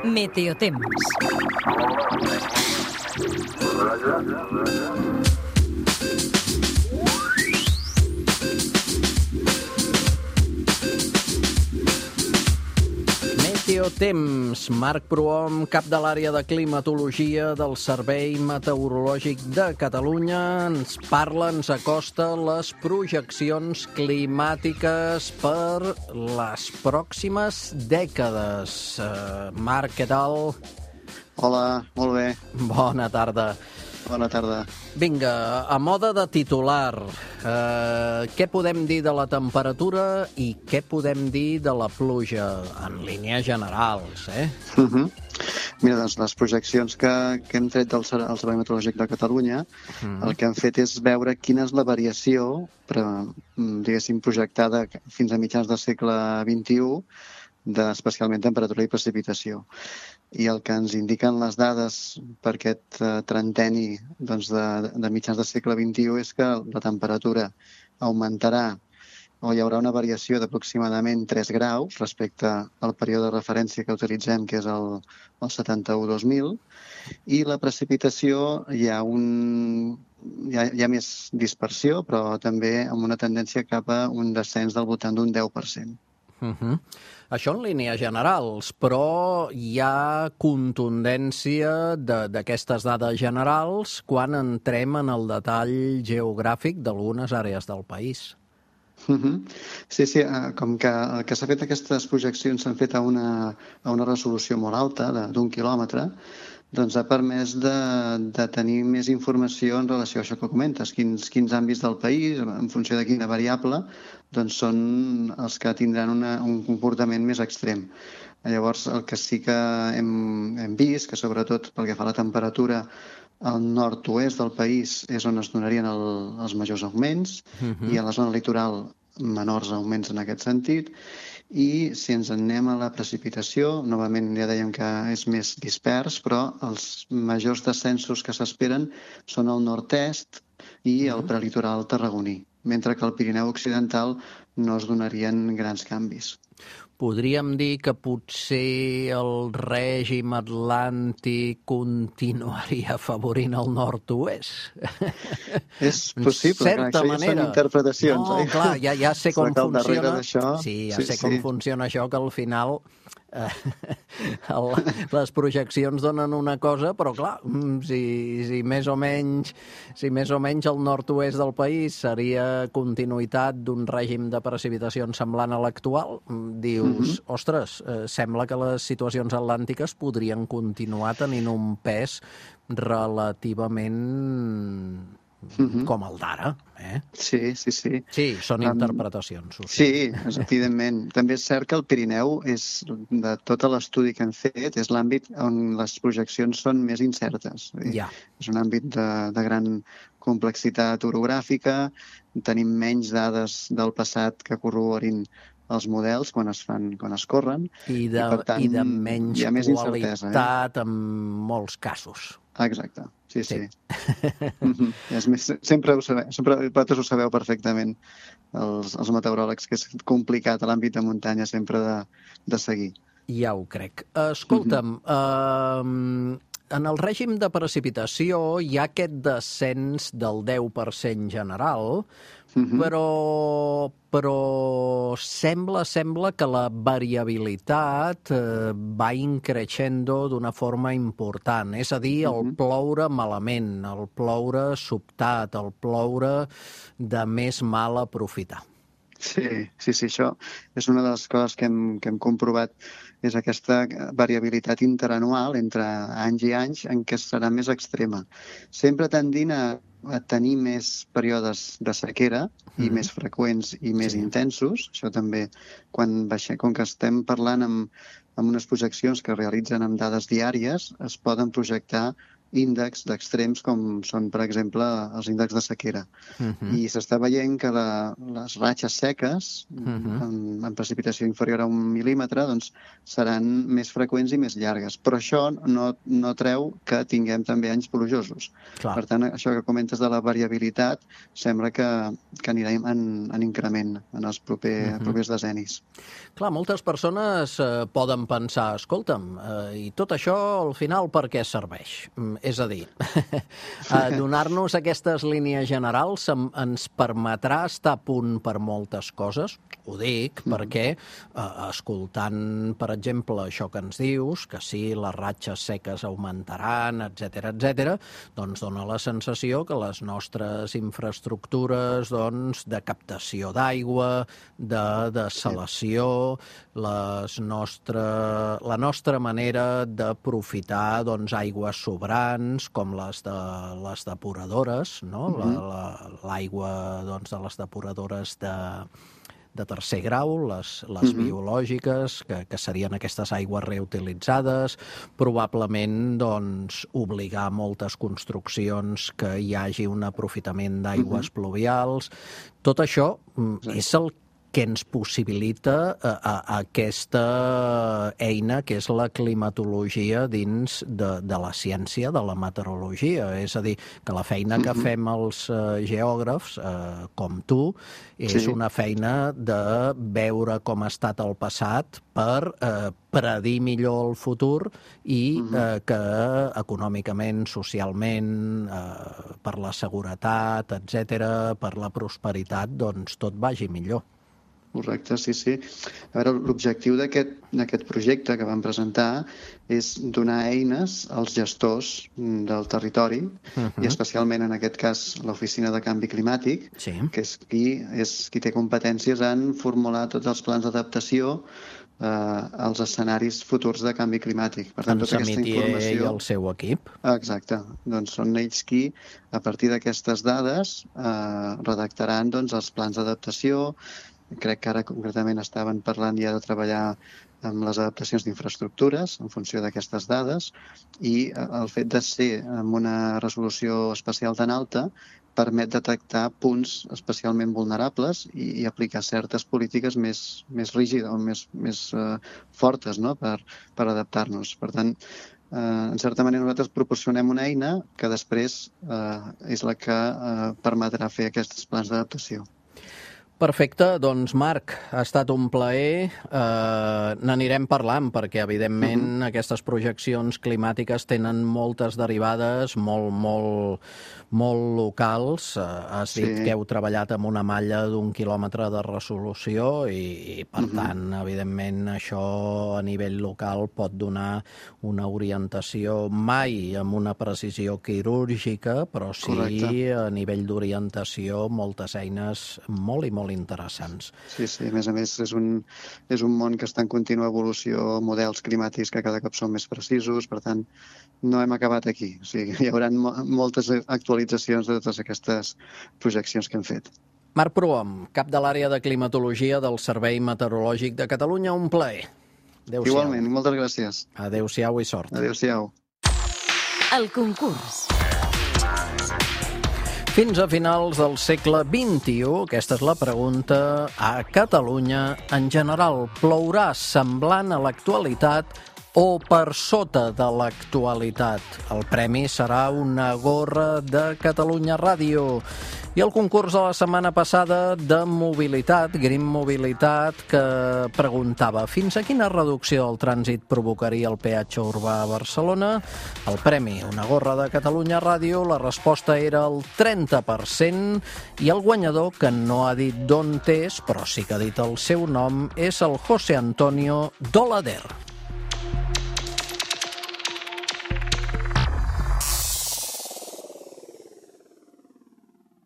Meteotemps. Meteotemps. Marc Prohom, cap de l'àrea de climatologia del Servei Meteorològic de Catalunya, ens parla, ens acosta les projeccions climàtiques per les pròximes dècades. Marc, què tal? Hola, molt bé. Bona tarda. Bona tarda. Vinga, a moda de titular, què podem dir de la temperatura i què podem dir de la pluja, en línies generals, Mira, doncs les projeccions que hem tret del Servei Meteorològic de Catalunya, el que han fet és veure quina és la variació, diguéssim, projectada fins a mitjans del segle XXI, d'especialment temperatura i precipitació. I el que ens indiquen les dades per aquest trenteni de mitjans del segle XXI és que la temperatura augmentarà o hi haurà una variació d'aproximadament 3 graus respecte al període de referència que utilitzem, que és el 71-2000, i la precipitació hi ha més dispersió, però també amb una tendència cap a un descens del voltant d'un 10%. Això en línies generals, però hi ha contundència d'aquestes dades generals quan entrem en el detall geogràfic d'algunes àrees del país. Sí, com que el que s'ha fet aquestes projeccions s'han fet a una resolució molt alta, d'1 quilòmetre, doncs ha permès de tenir més informació en relació a això que comentes, quins àmbits del país, en funció de quina variable, doncs són els que tindran un comportament més extrem. Llavors, el que sí que hem vist, que sobretot pel que fa a la temperatura, al nord-oest del país és on es donarien els majors augments i a la zona litoral menors augments en aquest sentit. I si ens en anem a la precipitació, novament ja dèiem que és més dispers, però els majors descensos que s'esperen són al nord-est i al prelitoral tarragoní, mentre que al Pirineu Occidental no es donarien grans canvis. Podríem dir que potser el règim atlàntic continuaria afavorint el nord-oest? És possible, clar, això ja són interpretacions. No, clar, ja sé com funciona. Sí, ja sé com funciona això, que al final les projeccions donen una cosa, però clar, si més o menys el nord-oest del país seria continuïtat d'un règim de precipitacions semblant a l'actual, dius, ostres, sembla que les situacions atlàntiques podrien continuar tenint un pes relativament com el d'ara. Sí. Sí, són interpretacions. Sí, evidentment. També és cert que el Pirineu, de tot l'estudi que hem fet, és l'àmbit on les projeccions són més incertes. És un àmbit de gran complexitat orogràfica, tenim menys dades del passat que corroborin els models quan es corren. I de menys qualitat en molts casos. Exacte, sí. Sempre vosaltres ho sabeu perfectament, els meteoròlegs, que és complicat a l'àmbit de muntanya sempre de seguir. Ja ho crec. Escolta'm, en el règim de precipitació hi ha aquest descens del 10% general, però sembla que la variabilitat va increixendo d'una forma important. És a dir, el ploure malament, el ploure sobtat, el ploure de més mal aprofitar. Sí, això és una de les coses que hem comprovat, és aquesta variabilitat interanual entre anys i anys en què serà més extrema. Sempre tendint a tenir més períodes de sequera i més freqüents i més intensos. Això també, com que estem parlant amb unes projeccions que realitzen amb dades diàries, es poden projectar índexs d'extrems com són, per exemple, els índexs de sequera. I s'està veient que les ratxes seques, amb precipitació inferior a 1 mil·límetre, doncs seran més freqüents i més llargues. Però això no treu que tinguem també anys plujosos. Clar. Per tant, això que comentes de la variabilitat sembla que anirà en increment en els propers decennis. Clar, moltes persones poden pensar, escolta'm, i tot això al final per què serveix? És a dir, donar-nos aquestes línies generals ens permetrà estar a punt per moltes coses. Ho dic perquè, escoltant, per exemple, això que ens dius, que sí, les ratxes seques augmentaran, etc., doncs dona la sensació que les nostres infraestructures de captació d'aigua, de dessalació, la nostra manera d'aprofitar aigües sobrants, com les depuradores, no? L'aigua de les depuradores de tercer grau, les biològiques, que serien aquestes aigües reutilitzades, probablement obligar moltes construccions que hi hagi un aprofitament d'aigües pluvials. Tot això és el que ens possibilita aquesta eina que és la climatologia dins de la ciència, de la meteorologia. És a dir, que la feina que fem els geògrafs, com tu, és una feina de veure com ha estat el passat per predir millor el futur i que econòmicament, socialment, per la seguretat, etc., per la prosperitat, tot vagi millor. Correcte, sí. A veure, l'objectiu d'aquest projecte que vam presentar és donar eines als gestors del territori i especialment en aquest cas l'Oficina de Canvi Climàtic, que és qui té competències en formular tots els plans d'adaptació als escenaris futurs de canvi climàtic. Per tant, tota aquesta informació... i el seu equip. Exacte. Doncs són ells qui, a partir d'aquestes dades, redactaran els plans d'adaptació. Crec que ara concretament estaven parlant ja de treballar amb les adaptacions d'infraestructures en funció d'aquestes dades i el fet de ser amb una resolució espacial tan alta permet detectar punts especialment vulnerables i aplicar certes polítiques més rígides o més fortes, no? per adaptar-nos. Per tant, en certa manera nosaltres proporcionem una eina que després és la que permetrà fer aquests plans d'adaptació. Perfecte, doncs Marc, ha estat un plaer. N'anirem parlant perquè, evidentment, aquestes projeccions climàtiques tenen moltes derivades molt locals. Has dit que heu treballat amb una malla d'1 quilòmetre de resolució i per tant, evidentment, això a nivell local pot donar una orientació mai amb una precisió quirúrgica, però sí a nivell d'orientació moltes eines molt interessants. Sí, a més és un món que està en contínua evolució, models climàtics que cada cop són més precisos, per tant, no hem acabat aquí. O sigui, hi haurà moltes actualitzacions de totes aquestes projeccions que hem fet. Marc Prohom, cap de l'àrea de climatologia del Servei Meteorològic de Catalunya, un plaer. Adéu-siau. Igualment, moltes gràcies. Adéu-siau i sort. Adéu-siau. El concurs. Fins a finals del segle XXI, aquesta és la pregunta, a Catalunya, en general, plourà semblant a l'actualitat o per sota de l'actualitat? El premi serà una gorra de Catalunya Ràdio. I el concurs de la setmana passada de mobilitat, Green Mobilitat, que preguntava fins a quina reducció del trànsit provocaria el peatge urbà a Barcelona? El premi, una gorra de Catalunya Ràdio, la resposta era el 30% i el guanyador, que no ha dit d'on és, però sí que ha dit el seu nom, és el José Antonio Dolader.